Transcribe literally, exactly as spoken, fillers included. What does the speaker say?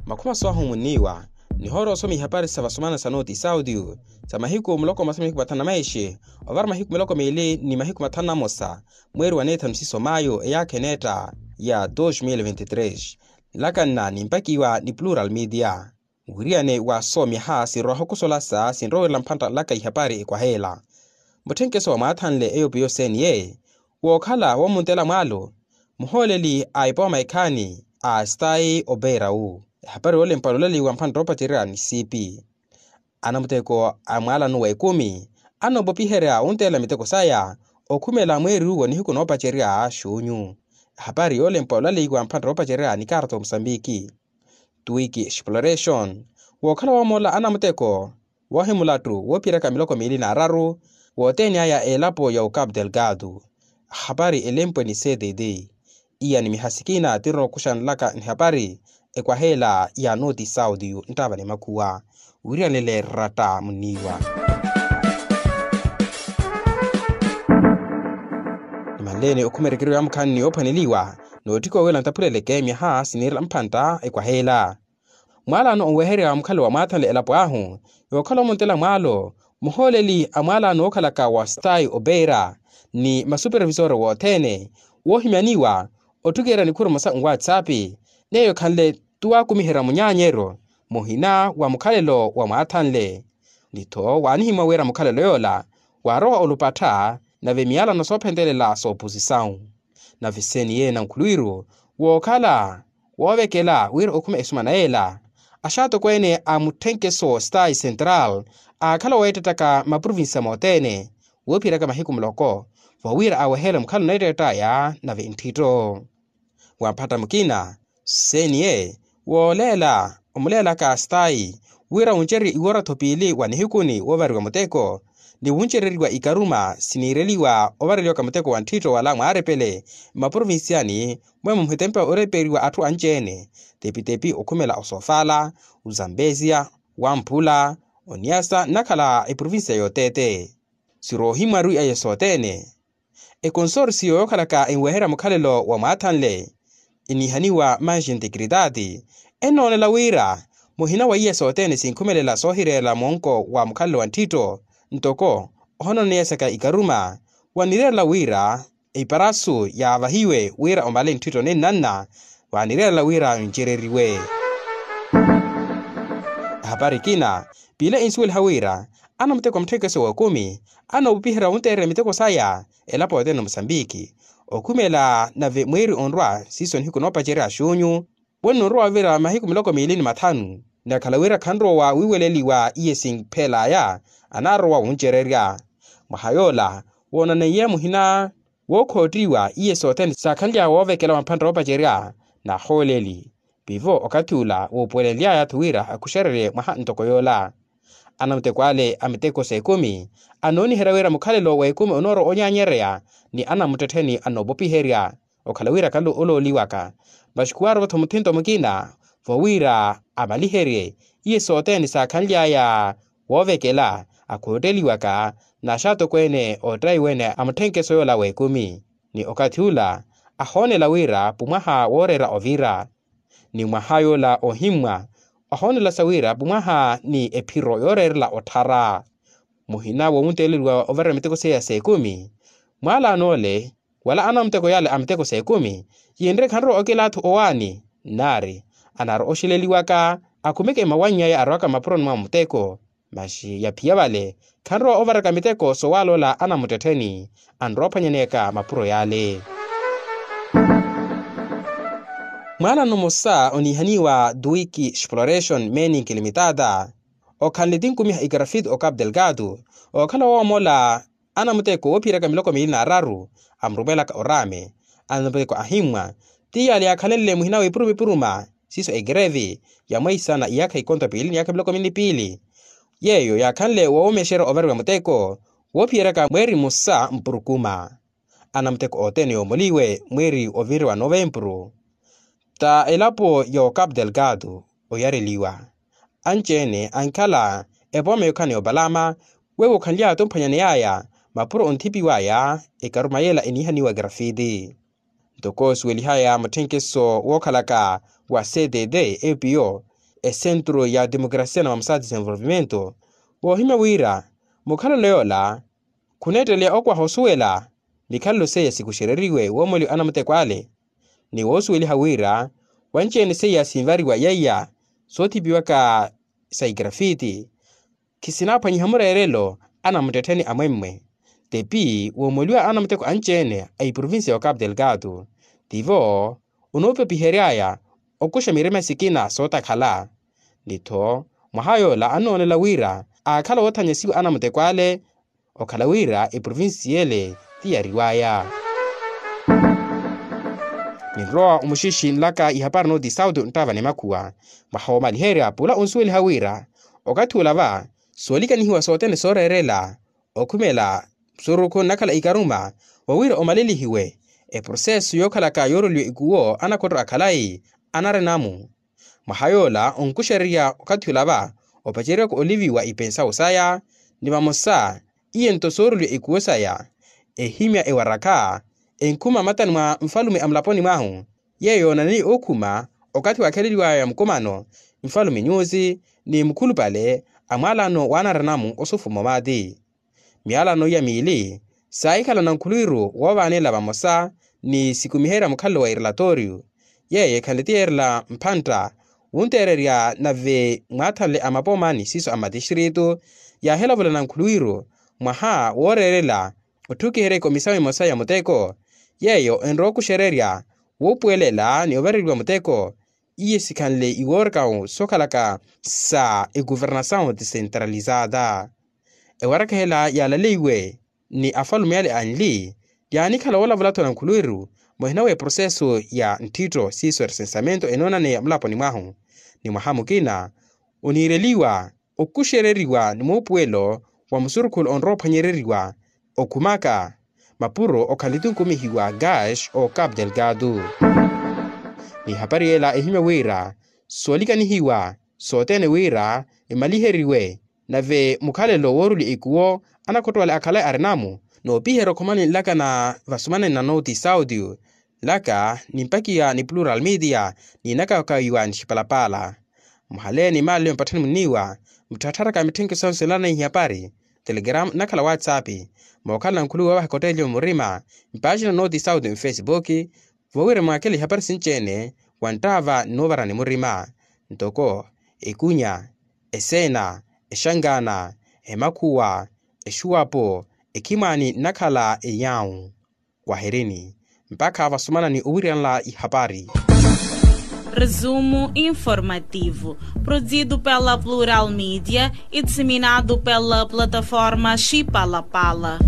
Makhuma soohumwinniwa nihoora osoma ihapari sa vasomana sa noti saudio sa mahiku muloko masa mahiku mathanu na maishi ovara mahiku miloko miili ni mahiku mathanu na mosa mweeri wa neethanu siso mayo eyaakha eneetta ya dos mil vinti tres. Nlakanna nimpakiwa ni plural media. Mwiriyane wa soomyaha sinrowaha okusolasa sinrowerela mphantta nlaka ihapari ekwaheela mutthenkeso wa mwaathanle eyo piyo seniye wookhala woomuntela mwaalo muhooleli a epooma ekhaani a stayi opeerau. Ehapari yoolempa olaleyiwa mphantta oopacerya ni siipi anamuteko a mwaalano wa ekumi anoopopiherya wunteela miteko saya okhumela mweeri uwo nihiku noopacerya xuunyu. Ehapari yoolempa olaleyiwa mphantta oopacerya ni kaarta omusambiki tuwiki exploration wookhala woomoola anamuteko woohimulattu woophiyeraka miloko miili n'araru wooteeni aya elapo ya ocapu delgado. Ahapari elempwe ni cdd iya ni miha sikina tinrowa okuxa nlaka nihapari ekwaheela ya noti saudio nttaava ni makhuwa wiriyanele ratta munniiwa. Nimanleeni okhuma erekeryo ya mukhaani ni yoophwaneliwa noottikha owela ntaphuleleke myaha siniirela mphantta ekwaheela mwaalano onweherya mukhalo wa mwaathanle elapo ahu yookhala omuntela mwaalo muhooleli a mwaalano wookhalaka wa stayi opeera ni masupervisore wothene woohimyaniwa ottukeerya nikhuru masa nwatsapp n'eyo ekhanle tuwaakumiherya munyaanyeryo muhina wa mukhalelo wa mwaathanle ni-tho waanihimwa wira mukhalelo yoola waarowa olupattha nave miyalano soophentelela sooposisawu. Nave seniye nankhulwiru wookhala woovekela wira okhuma esumana yeela axaatokweene a mutthenkeso stayi central aakhala weettettaka maprovincia moothene woophiyeryaka mahiku muloko vowira aweheele mukhalo oneettett'aya nave ntthitto wa mphatta mukina seniye wooleela omuleelaka stayi wira wuncerye iwoora-tho piili wa nihikuni woovariwa muteko ni wuncereriwa ikaruma siniireliwa ovareliwaka muteko wa ntthiitto wala mwaarepele mmaprovinciani mweemo muhitempa oreperiwa atthu anci-ene tepi-tepi okhumela osofala ozambezia wamphula oniasa nnakhala eprovincia yootete siroohimwaru aye sothene ekonsorsiyo yookhalaka enweherya mukhalelo wa mwaathanle eniihaniwa manji ntikiritaati ennoonela wira muhina wa iye sothene sinkhumelela soohireerela mwonko wa mukhalelo wa ntthiitto ntoko ohononeya saka ikaruma wanireerela wira iparasu yaavahiwe wira omale ntthiitto nennanna wanireerela wira ncereriwe. Ehapari ekina piila ensuweliha wira anamuteko a mutthekeso wa ekumi anoopiherya wunteererya miteko saya elapo yothene mosambiki okhumela nave mweeri onrwa siiso nihiku noopacerya xunyu wenno onrwa ovira mahiku miloko miili ni mathanu ni akhala wira khanrowa wiiweleliwa iye sinphelaya anaarowa wuncererya mwaha yoola woonaneiye muhina wookhottiwa iye sothene saakhanly'aya woovekela wa mphantta oopacerya n'ahooleli pivo okathi ula wuupuwelely'aya-tho wira akuxererye mwaha ntoko yoola anamuteko ale a miteko s'ekumi anooniherya wira mukhalelo w'ekumi onoorowa onyaanyereya ni anamuttettheni anoopopiherya okhala wira khanle olooliwaka masi khuwaarova-tho muthinto mukina vowira amaliherye iye sothene saakhanly'aya woovekela akhootteliwaka n'axaatokweene oottayiwene a mutthenkeso yoola w'ekumi ni okathi ula ahoonela wira pumwaha wooreera ovira ni mwaha yoola ohimmwa ahoonelasa wira pumwaha ni ephiro yooreerela otthara muhina wowunteeleliwa ovarira miteko seiya s'ekumi mwaalano ole wala anamuteko yale a miteko s'ekumi yinre khanrowa okela atthu owaani nnaari anaari oxeleliwaka akhumeke mawanny'aya arowaka mapuroni mwa muteko masi yaphiya vale khanrowa ovaraka miteko sowaloola anamuttettheni anrowa ophwanyaneyaka mapuro yale. Mwaalano mmosa oniihaniwa duwiki exploration meaning limitada okhanle tinkumiha ikarafiti ocapu delgado okhala woomola anamuteko woophiyeraka miloko miili n'araru amurumwelaka oraame anamuteko ahimmwa ti yale yaakhalenle muhina w'epuruma epuruma siiso ekerevi ya mweisa na iyaakha ikonto piili ni iyaakha miloko miili ni piili yeeyo yaakhanle woowomexerya ovariwa muteko woophiyeryaka mweeri mmosa mpurukuma anamuteko othene yoomoliwe mweeri ovinre wa novempuru ta elapo ya ocapu delgado oyareliwa anci-ene ankhala epooma yookhala ni opalama wewo okhanly'aya-tho omphwanyaney'aya mapuro onthipiw'aya ekaruma yeela eniihaniwa grafiti ntoko osuwelihaya mutthenkeso wookhalaka wa cdd epiyo esentru ya timokrasia na mamusa desenvolvimento, woohimya wira mukhalelo yoola khuneetteleya okwaha osuwela mikhalelo seiya sikuxereriwe woomoliwa anamuteko ale. Ni woosuweliha wira wanci-ene seiya sinvariwa yeiya soothipiwaka sa igrafiti khisinaphwanyiha mureerelo anamuttettheni amwemmwe. Tepi woomoliwa anamuteko anci-ene a iprovincia ya ocapu delgado, tivo onoopepihery'aya okuxa mirima sikina sootakhala. Ni-tho mwaha yoola annoonela wira aakhala woothanyasiwa anamuteko ale okhala wira eprovincia ele ti yariw'aya. Ninrowa omuxixi nlaka ihapari nooti sauti nttava ni makhuwa mwaha woomaliherya pula onsuweliha wira okathi ula va soolikanihiwa sothene sooreerela okhumela musurukhu nnakhala ikaruma wa wira omalelihiwe eproseso yookhalaka yooroliwa ikuwo anakhotto akhalayi anarinamu. Mwaha yoola onkuxererya okathi ula va opaceriwaka oliviwa ipensawu saya ni vamosa iye nto sooroliwa ikuwo saya ehimya ewarakha enkhuma mmatani mwa nfalume a mulaponi mwahu yeeyo yoonaneiye ookhuma okathi waakheleliwaya mukumano nfalume nyusi ni mukhulupale a mwaalano waanaranamu osufuma omaati. Myalano iya miili saahikhala nankhuluwiru woovaanela vamosa ni sikumiherya mukhalelo wa irelatooriyu yeeyo ekhanle ti yeerela mphantta wunteererya nave mwaathanle a mapooma ni siiso a mmatixiritu yaahilavula nankhuluwiru mwaha wooreerela otthukiherya ekomisawu emosa ya muteko yeeyo enrowa okuxererya wuupuwelela ni ovareriwa muteko iye sikhanle iwoorikawu sookhalaka sa ekuvernasawu desentralizada. Ewarakahela yaalaleiwe ni afalume ale anli yaanikhala woolavula-tho nankhuluwiru muhina w'eproseso ya ntthitto siiso eresensamento enoonaneya mulaponi mwahu ni mwaha mukina oniireliwa okuxereriwa ni muupuwelo wa musurukhulu onrowa ophwanyereriwa okhumaka mapuro okhala etunkumihiwa gash o capu delgado. Ni ehapari yeela ehimya wira soolikanihiwa sothene wira emaliheriwe nave mukhalelo woorulya ikuwo anakhotto ale akhalayi arinamu noopiherya okhomani nlaka na vasumanani na nooti sauti nlaka nimpakiya ni plural media niinakakawiwa ni xipalapaala. Muhaleeni maalelo mpatthani munniiwa mutthattharaka mitthenke sonse nlaneihi hapari telegram nnakhala whatsapp mookhala nankhuluwi woovaha ekotteeliwe murima mpaaxina nooti sauti mfesipuki voowira mwaakele ihapari sinci-ene wa nttaava nnoovarani murima ntoko ekunya eseena exankaana emakhuwa exuwapo ekhimwaani nnakhala eyawu. Waherini mpakha vasumanani owiriyanla ihapari. Resumo informativo produzido pela plural media e disseminado pela plataforma xipalapala.